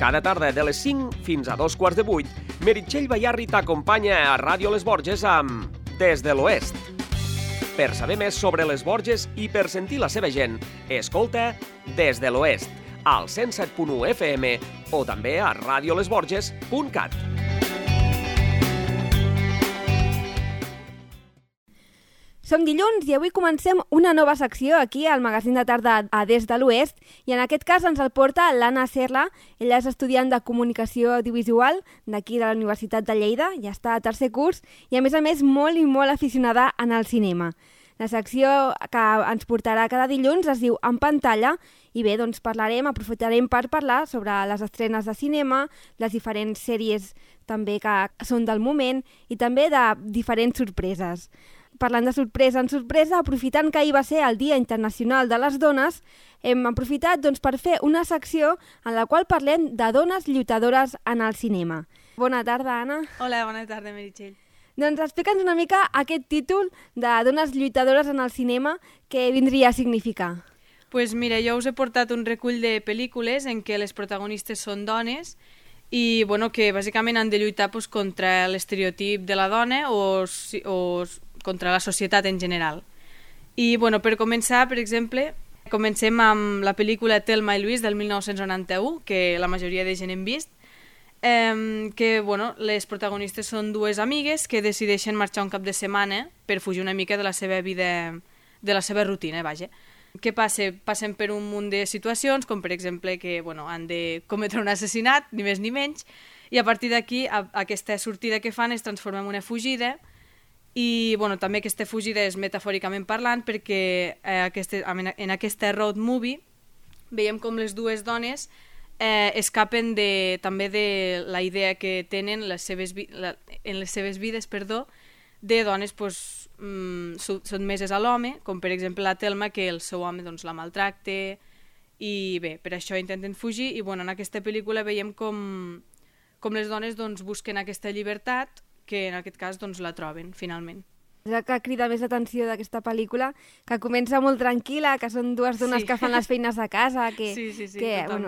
Cada tarda de les 5 fins a 2:15, Meritxell Bayarri t'acompanya a Ràdio Les Borges amb Des de l'Oest. Per saber més sobre les Borges i per sentir la seva gent, escolta Des de l'Oest, al 107.1 FM o també a radiolesborges.cat. Som dilluns i avui comencem una nova secció aquí al magazín de tarda a Des de l'Oest i en aquest cas ens el porta l'Anna Serla. Ella és estudiant de Comunicació Audiovisual d'aquí de la Universitat de Lleida, ja està a tercer curs i a més molt i molt aficionada en el cinema. La secció que ens portarà cada dilluns es diu En pantalla i bé, doncs aprofitarem per parlar sobre les estrenes de cinema, les diferents sèries també que són del moment i també de diferents sorpreses. Parlant de sorpresa en sorpresa, aprofitant que ahir va ser el Dia Internacional de les Dones, hem aprofitat per fer una secció en la qual parlem de dones lluitadores en el cinema. Bona tarda, Anna. Hola, bona tarda, Meritxell. Doncs explica'ns una mica aquest títol de dones lluitadores en el cinema, què vindria a significar? Pues mira, jo us he portat un recull de pel·lícules en què les protagonistes són dones i que bàsicament han de lluitar contra l'estereotip de la dona o contra la societat en general. I per començar, per exemple, comencem amb la pel·lícula Thelma i Louise del 1991, que la majoria de gent hem vist, que les protagonistes són dues amigues que decideixen marxar un cap de setmana per fugir una mica de la seva vida, de la seva rutina, vaja. Què passa? Passen per un munt de situacions, com per exemple que han de cometre un assassinat, ni més ni menys, i a partir d'aquí aquesta sortida que fan es transforma en una fugida i també aquesta fugida és metafòricament parlant perquè en aquesta road movie veiem com les dues dones escapen també de la idea que tenen en les seves vides de dones sotmeses a l'home, com per exemple la Thelma, que el seu home la maltracta i bé, per això intenten fugir i en aquesta pel·lícula veiem com les dones busquen aquesta llibertat que en aquest cas la troben finalment. El que crida més l'atenció d'aquesta pel·lícula, que comença molt tranquil·la, que són dues dones que fan les feines de casa, que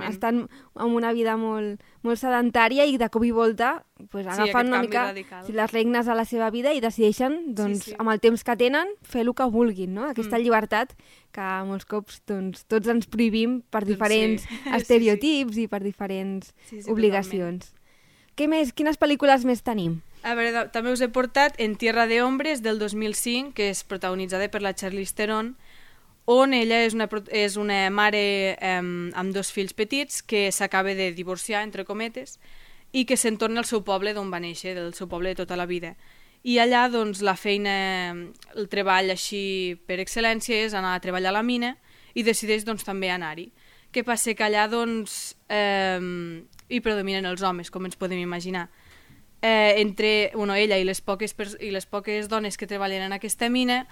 estan en una vida molt sedentària i de cop i volta agafen una mica les regnes a la seva vida i decideixen, amb el temps que tenen, fer el que vulguin, no? Aquesta llibertat que molts cops tots ens prohibim per diferents estereotips i per diferents obligacions. Què més? Quines pel·lícules més tenim? A veure, també us he portat En Tierra de Hombres del 2005, que és protagonitzada per la Charlize Theron, on ella és una mare amb dos fills petits que s'acaba de divorciar, entre cometes, i que se'n torna al seu poble d'on va néixer, del seu poble de tota la vida. I allà la feina, el treball així per excel·lència és anar a treballar a la mina i decideix també anar-hi. Què passa? Que allà hi predominen els homes, com ens podem imaginar. Entre ella i les poques dones que treballen en aquesta mina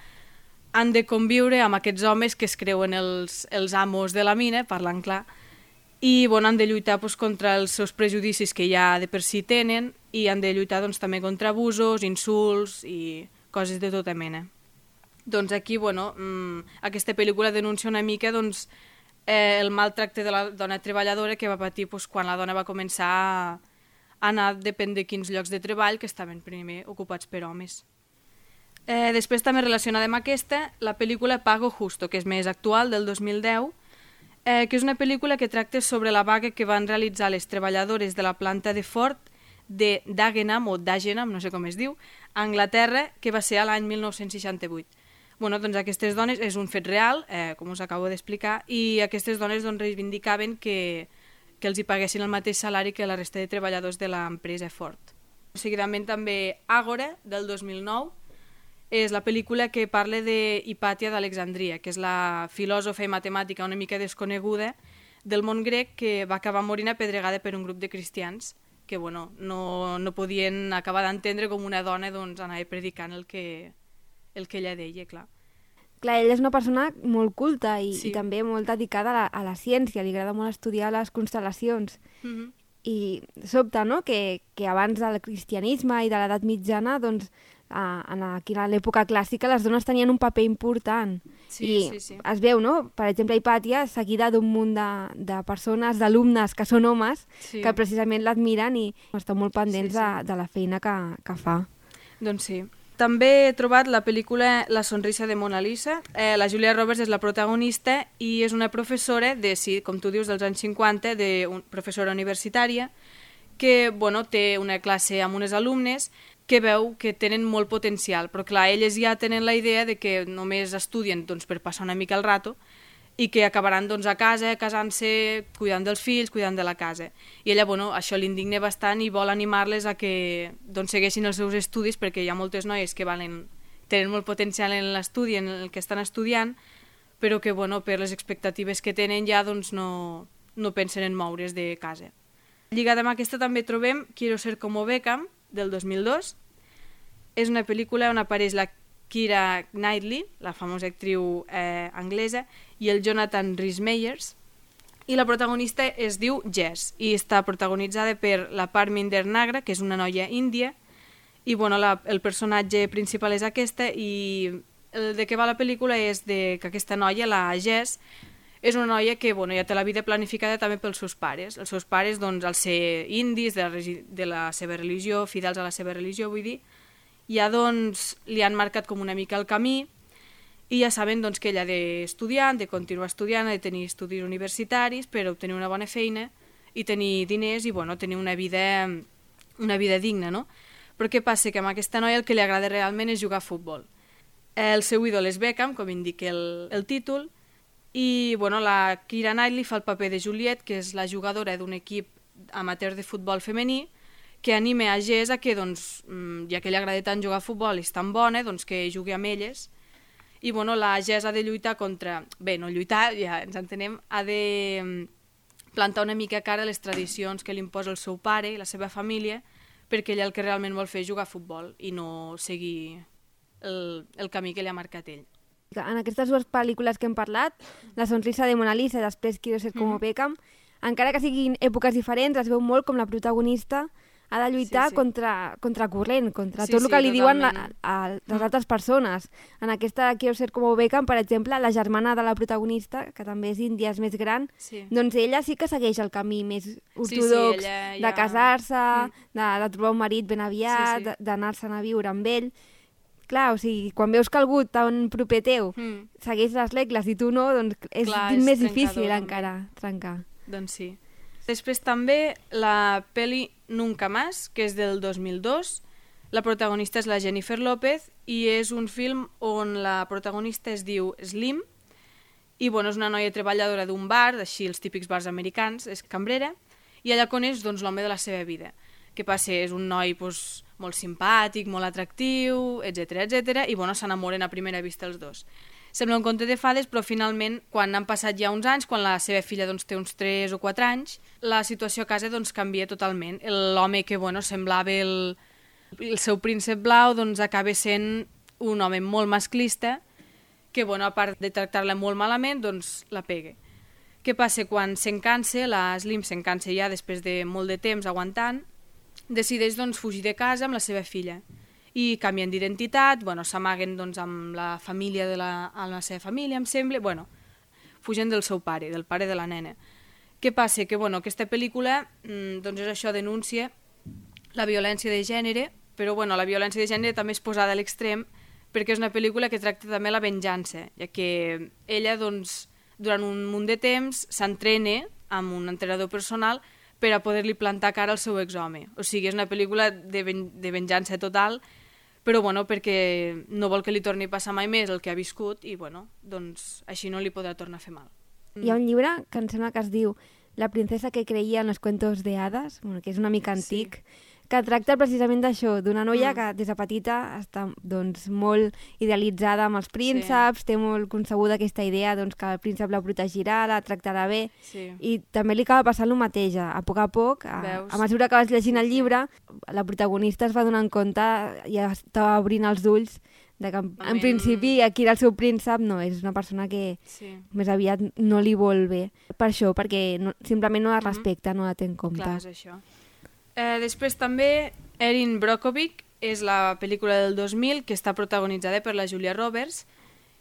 han de conviure amb aquests homes que es creuen els amos de la mina, parlant clar, i han de lluitar contra els seus prejudicis que ja de per si tenen i han de lluitar també contra abusos, insults i coses de tota mena. Doncs aquí aquesta pel·lícula denuncia una mica el maltracte de la dona treballadora que va patir quan la dona va començar a anar depèn de quins llocs de treball que estaven primer ocupats per homes. Després també relacionada amb aquesta, la pel·lícula Pago Justo, que és més actual, del 2010, que és una pel·lícula que tracta sobre la vaga que van realitzar les treballadores de la planta de Ford de Dagenham, no sé com es diu, a Anglaterra, que va ser a l'any 1968. Aquestes dones és un fet real, com us acabo d'explicar, i aquestes dones reivindicaven que els hi paguessin el mateix salari que la resta de treballadors de l'empresa Ford. Seguidament també Àgora, del 2009, és la pel·lícula que parla d'Hipàtia d'Alexandria, que és la filòsofa i matemàtica una mica desconeguda del món grec que va acabar morint apedregada per un grup de cristians que no podien acabar d'entendre com una dona anava predicant el que ella deia, clar. Clar, ella és una persona molt culta i també molt dedicada a la ciència, li agrada molt estudiar les constel·lacions. I sobta, no?, que abans del cristianisme i de l'edat mitjana aquí a l'època clàssica les dones tenien un paper important. Sí. Es veu, no? Per exemple, Hipàtia, seguida d'un munt de persones, d'alumnes que són homes, que precisament l'admiren i estan molt pendents de la feina que fa. Doncs sí. També he trobat la pel·lícula La sonrisa de Mona Lisa. La Julia Roberts és la protagonista i és una professora, com tu dius, dels anys 50, professora universitària, que té una classe amb unes alumnes que veu que tenen molt potencial, però clar, elles ja tenen la idea de que només estudien per passar una mica el rato i que acabaran a casa, casant-se, cuidant dels fills, cuidant de la casa. I ella, això l'indigna bastant i vol animar-les a que segueixin els seus estudis, perquè hi ha moltes noies que tenen molt potencial en l'estudi, en el que estan estudiant, però que per les expectatives que tenen ja no pensen en moure's de casa. Lligada amb aquesta també trobem Quiero ser como Beckham, del 2002. És una pel·lícula on apareix la Keira Knightley, la famosa actriu anglesa, i el Jonathan Rhys-Meyers, i la protagonista es diu Jess, i està protagonitzada per la Parminder Nagra, que és una noia índia, i el personatge principal és aquesta, i el de què va la pel·lícula és que aquesta noia, la Jess, és una noia que ja té la vida planificada també pels seus pares. Els seus pares, al ser indis, de la seva religió, fidels a la seva religió, vull dir, ja li han marcat com una mica el camí i ja saben que ella ha d'estudiar, de continuar estudiant, ha de tenir estudis universitaris per obtenir una bona feina i tenir diners i tenir una vida digna, no? Però què passa? Que amb aquesta noia el que li agrada realment és jugar a futbol. El seu ídol és Beckham, com indica el títol, i la Keira Knightley fa el paper de Juliet, que és la jugadora d'un equip amateur de futbol femení, que anima a Jess a que, ja que li agrada tant jugar a futbol i és tan bona, que jugui amb elles. I la Jess ha de lluitar contra... Bé, no lluitar, ja ens entenem, ha de plantar una mica cara a les tradicions que li imposa el seu pare i la seva família, perquè ella el que realment vol fer és jugar a futbol i no seguir el camí que li ha marcat ell. En aquestes dues pel·lícules que hem parlat, La sonrisa de Mona Lisa i després Quiero ser como Beckham, encara que siguin èpoques diferents, es veu molt com la protagonista ha de lluitar contra corrent, contra tot el que li diuen les altres persones. En aquesta Quiero ser como Beckham, per exemple, la germana de la protagonista, que també és índia, és més gran, doncs ella sí que segueix el camí més ortodox de casar-se, de trobar un marit ben aviat, d'anar-se'n a viure amb ell. Clar, o sigui, quan veus que algú tan proper teu segueix les regles i tu no, doncs és més difícil encara trencar. Doncs sí. Després també la pel·li Nunca Más, que és del 2002. La protagonista és la Jennifer López i és un film on la protagonista es diu Slim i és una noia treballadora d'un bar, així els típics bars americans, és cambrera, i allà coneix l'home de la seva vida. Què passa? És un noi molt simpàtic, molt atractiu, etc. I s'enamoren a primera vista els dos. Sembla un conte de fades, però finalment, quan han passat ja uns anys, quan la seva filla té uns 3 o 4 anys, la situació a casa canvia totalment. L'home que semblava el seu príncep blau acaba sent un home molt masclista que, a part de tractar-la molt malament, la pega. Què passa? Quan s'encansa, la Slim s'encansa ja després de molt de temps aguantant, decideix fugir de casa amb la seva filla i canvien d'identitat, s'amaguen amb la família amb la seva família, em sembla, fugen del seu pare, del pare de la nena. Què passa? Que aquesta pel·lícula és això, denuncia la violència de gènere, però la violència de gènere també és posada a l'extrem perquè és una pel·lícula que tracta també la venjança, ja que ella durant un munt de temps s'entrena amb un entrenador personal per a poder-li plantar cara al seu exhome. O sigui, és una pel·lícula de venjança total, però perquè no vol que li torni a passar mai més el que ha viscut i així no li podrà tornar a fer mal. Hi ha un llibre que em sembla que es diu La princesa que creia en los cuentos de hadas, que és una mica antic, que tracta precisament d'això, d'una noia que des de petita està molt idealitzada amb els prínceps, té molt concebuda aquesta idea que el príncep la protegirà, la tractarà bé, i també li acaba passant el mateix. A poc, a mesura que vas llegint el llibre, la protagonista es va donant compte, ja estava obrint els ulls, que en principi aquí el seu príncep no és una persona que més aviat no li vol bé. Per això, perquè simplement no la respecta, no la té en compte. Clar, és això. Després també Erin Brockovich és la pel·lícula del 2000, que està protagonitzada per la Julia Roberts,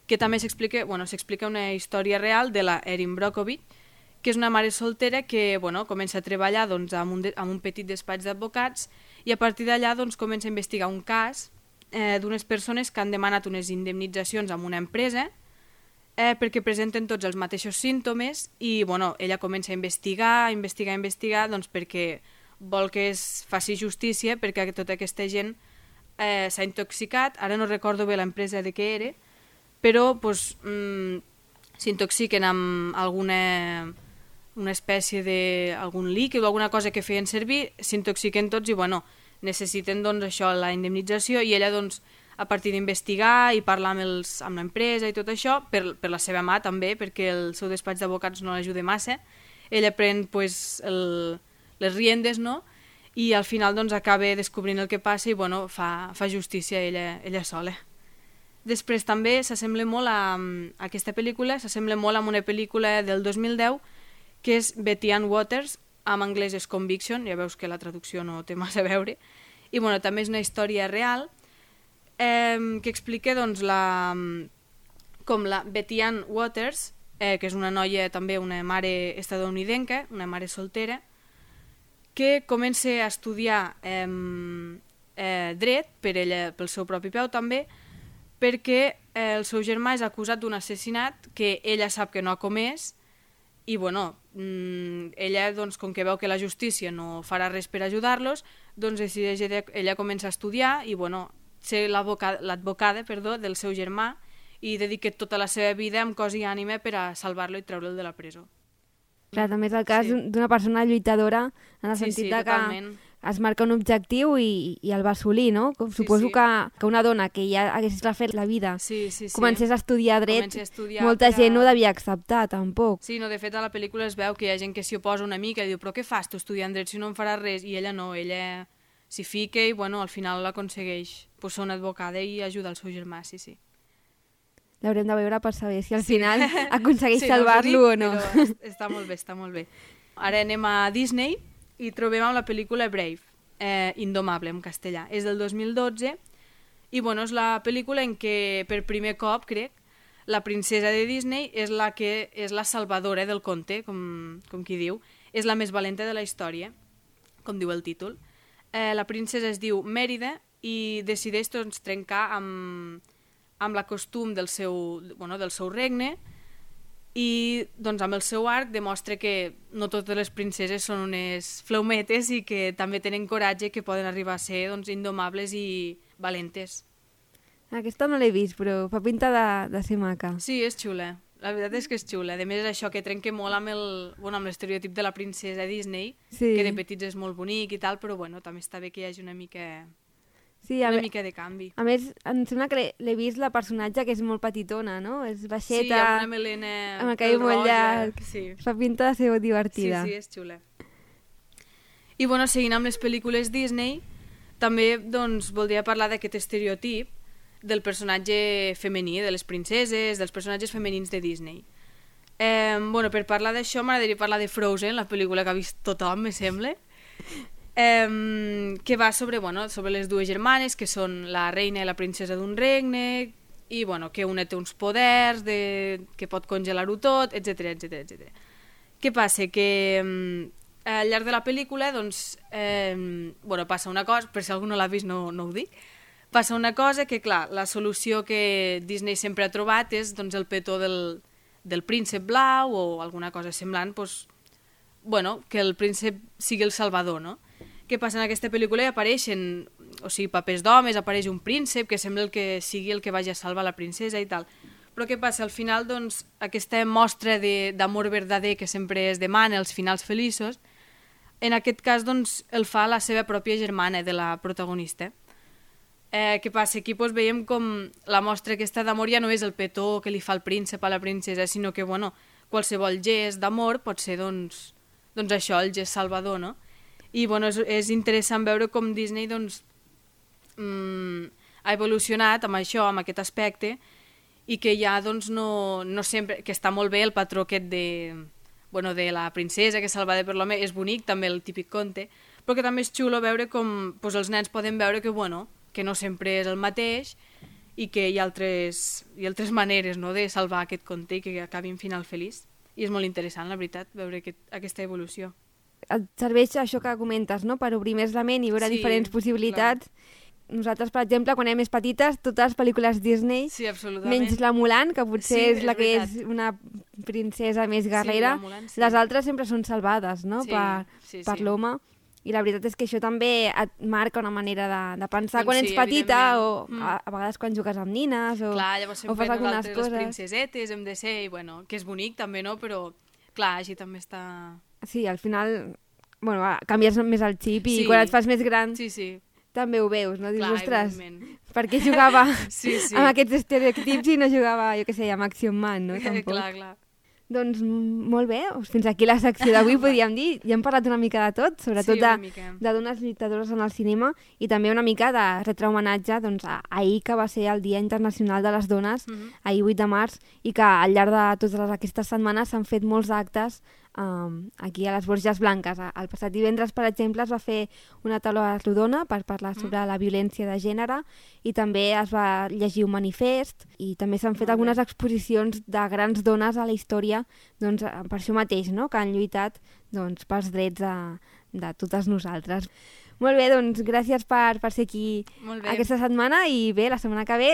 que també s'explica una història real de la Erin Brockovich, que és una mare soltera que comença a treballar doncs, en un petit despatx d'advocats i a partir d'allà doncs, comença a investigar un cas d'unes persones que han demanat unes indemnitzacions a una empresa perquè presenten tots els mateixos símptomes i ella comença a investigar doncs, perquè vol que es faci justícia perquè tota aquesta gent s'ha intoxicat, ara no recordo bé l'empresa de què era, però doncs, s'intoxiquen amb una espècie d'algun líquid o alguna cosa que feien servir, s'intoxiquen tots i necessiten doncs, això, la indemnització i ella doncs, a partir d'investigar i parlar amb l'empresa i tot això, per la seva mà també, perquè el seu despatx d'advocats no l'ajuda massa, ella pren pues, les riendes, no? I al final doncs, acaba descobrint el que passa i fa justícia ella sola. Després també s'assembla molt a aquesta pel·lícula, s'assembla molt a una pel·lícula del 2010 que és Betty Ann Waters, en anglès és Conviction, ja veus que la traducció no té massa a veure, i també és una història real que explica doncs, com la Betty Ann Waters, que és una noia també, una mare estatunidenca, una mare soltera, que comença a estudiar dret per ella, pel seu propi peu també, perquè el seu germà és acusat d'un assassinat que ella sap que no ha comès i ella, doncs, com que veu que la justícia no farà res per ajudar-los, doncs decideix ella comença a estudiar i ser l'advocada del seu germà i dedica tota la seva vida amb cos i ànima per a salvar-lo i treure'l de la presó. Clar, també és el cas d'una persona lluitadora en el sentit que totalment. Es marca un objectiu i el va assolir, no? Suposo que una dona que ja hagués refet la vida comencés a estudiar dret, molta gent no devia acceptar, tampoc. Sí, no, de fet a la pel·lícula es veu que hi ha gent que s'hi oposa una mica i diu, però què fas tu estudiant dret si no en faràs res? I ella no, ella s'hi fica i al final l'aconsegueix ser una advocada i ajudar el seu germà, sí. L'haurem de veure per saber si al final aconsegueix salvar-lo o no. Està molt bé. Ara anem a Disney i trobem amb la pel·lícula Brave, Indomable en castellà. És del 2012 i és la pel·lícula en què per primer cop, crec, la princesa de Disney és la que és la salvadora del conte, com qui diu. És la més valenta de la història, com diu el títol. La princesa es diu Mèrida i decideix doncs, trencar amb la costum del seu regne i doncs, amb el seu arc demostra que no totes les princeses són unes fleumetes i que també tenen coratge, que poden arribar a ser doncs, indomables i valentes. Aquesta no l'he vist, però fa pinta de ser maca. Sí, és xula. La veritat és que és xula. A més, és això que trenca molt amb l'estereotip de la princesa Disney, que de petits és molt bonic i tal, però també està bé que hi hagi una mica... Sí, mica de canvi. A més, em sembla que l'he vist la personatge que és molt petitona, no? És baixeta... Sí, amb una melena amb el cabell molt llarg. Sí. Fa pinta de ser divertida. Sí, és xula. I seguint amb les pel·lícules Disney, també doncs, voldria parlar d'aquest estereotip del personatge femení, de les princeses, dels personatges femenins de Disney. Per parlar d'això m'agradaria parlar de Frozen, la pel·lícula que ha vist tothom, me sembla, que va sobre les dues germanes que són la reina i la princesa d'un regne i que una té uns poders que pot congelar-ho tot, etc. Què passa? Que al llarg de la pel·lícula passa una cosa, per si algú no l'ha vist no ho dic, passa una cosa que clar, la solució que Disney sempre ha trobat és el petó del príncep blau o alguna cosa semblant, que el príncep sigui el salvador, no? Què passa? En aquesta pel·lícula hi apareixen papers d'homes, apareix un príncep que sembla que sigui el que vagi a salvar la princesa i tal. Però què passa? Al final, aquesta mostra d'amor verdader que sempre es demana, els finals feliços, en aquest cas, el fa la seva pròpia germana de la protagonista. Què passa? Aquí veiem com la mostra aquesta d'amor ja no és el petó que li fa el príncep a la princesa, sinó que, qualsevol gest d'amor pot ser, això, el gest salvador, no? I és interessant veure com Disney ha evolucionat amb això, amb aquest aspecte, i que ja no sempre, que està molt bé el patró aquest de la princesa que és salvada per l'home, és bonic també el típic conte, però que també és xulo veure com els nens poden veure que que no sempre és el mateix i que hi ha altres maneres, no?, de salvar aquest conte i que acabi en final feliç. I és molt interessant, la veritat, veure aquesta evolució. Et serveix això que comentes, no?, per obrir més la ment i veure diferents possibilitats. Clar. Nosaltres, per exemple, quan érem més petites, totes les pel·lícules Disney, menys la Mulan, que potser és la que és una princesa més guerrera, les altres sempre són salvades, no?, per l'home. I la veritat és que això també et marca una manera de pensar quan ets petita o a vegades quan jugues amb nines o, clar, llavors o fas algunes coses. Les princesetes hem de ser, i bueno, que és bonic també, no? Però clar, així també està... Sí, al final, bueno, canvies més el xip i quan et fas més gran també ho veus, no? Dius, ostres, per què jugava amb aquests estereotips i no jugava, jo què sé, amb Action Man, no? Tampoc. Clar. Doncs molt bé, fins aquí la secció d'avui podríem dir. Ja hem parlat una mica de tot, sobretot de dones lluitadores en el cinema i també una mica de retre homenatge doncs, a ahir, que va ser el Dia Internacional de les Dones, ahir 8 de març, i que al llarg de totes aquestes setmanes s'han fet molts actes aquí a les Borges Blanques. El passat divendres, per exemple, es va fer una taula rodona per parlar sobre la violència de gènere i també es va llegir un manifest i també s'han fet algunes exposicions de grans dones a la història, doncs, per això mateix, no?, que han lluitat doncs, pels drets de totes nosaltres. Molt bé, doncs gràcies per ser aquí aquesta setmana i bé, la setmana que ve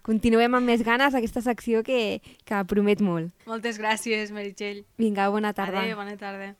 continuem amb més ganes aquesta secció que promet molt. Moltes gràcies, Meritxell. Vinga, bona tarda. Adéu, bona tarda.